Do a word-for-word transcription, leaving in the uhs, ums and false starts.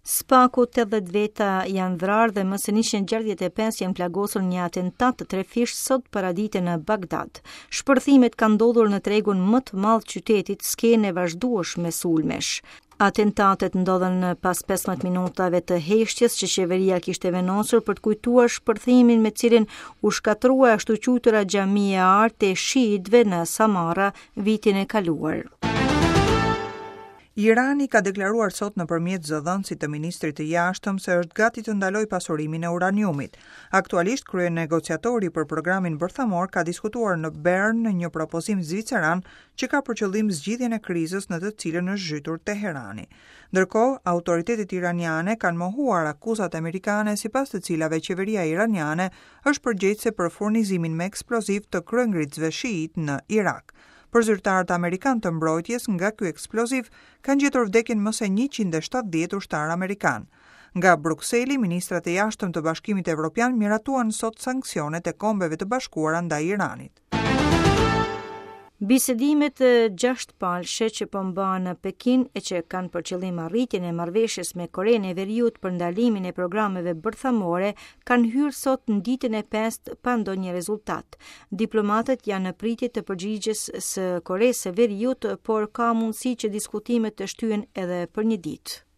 Së paku tetëdhjetë veta janë vrarë dhe më se njëqind e gjashtëdhjetë e pesë janë plagosur në një atentat të trefishtë sot paradite në Bagdad. Shpërthimet kanë ndodhur në tregun më të madh të qytetit, skenë e vazhdueshme sulmesh. Atentatet ndodhën pas pesëmbëdhjetë minutave të heshtjes që qeveria kishte vendosur për të kujtuar shpërthimin me cilin u shkatërrua ashtu quajtura xhamia e artë e shiitëve në Samara vitin e kaluar. Irani ka deklaruar sot nëpërmjet zëdhënësit të ministrit të jashtëm se është gati të ndalojë pasurimin e uraniumit. Aktualisht, kryenegociatori për programin bërthamor ka diskutuar në Bern në një propozim zviceran që ka për qëllim zgjidhjen e krizës në të cilën është zhytur Teherani. Ndërkohë, autoritetet iraniane kanë mohuar akuzat amerikane sipas të cilave qeveria iraniane është përgjegjëse për furnizimin me eksploziv të kryengritësve shiit në Irak. Për zyrtarët amerikan të mbrojtjes nga ky eksploziv kanë gjetur vdekjen më se njëqind e shtatëdhjetë ushtarë amerikan. Nga Brukseli, ministrat e jashtëm të Bashkimit Evropian miratuan sot sanksionet e Kombeve të Bashkuara ndaj Iranit. Bisedimet gjashtë palëshe që po mbahen në Pekin e që kanë për qëllim arritjen e marrëveshjes me Korenë e Veriut për ndalimin e programeve bërthamore kanë hyrë sot në ditën e pestë pa ndonjë rezultat. Diplomatët janë në pritje të përgjigjes së Koresë së Veriut, por ka mundësi që diskutimet të shtyhen edhe për një ditë.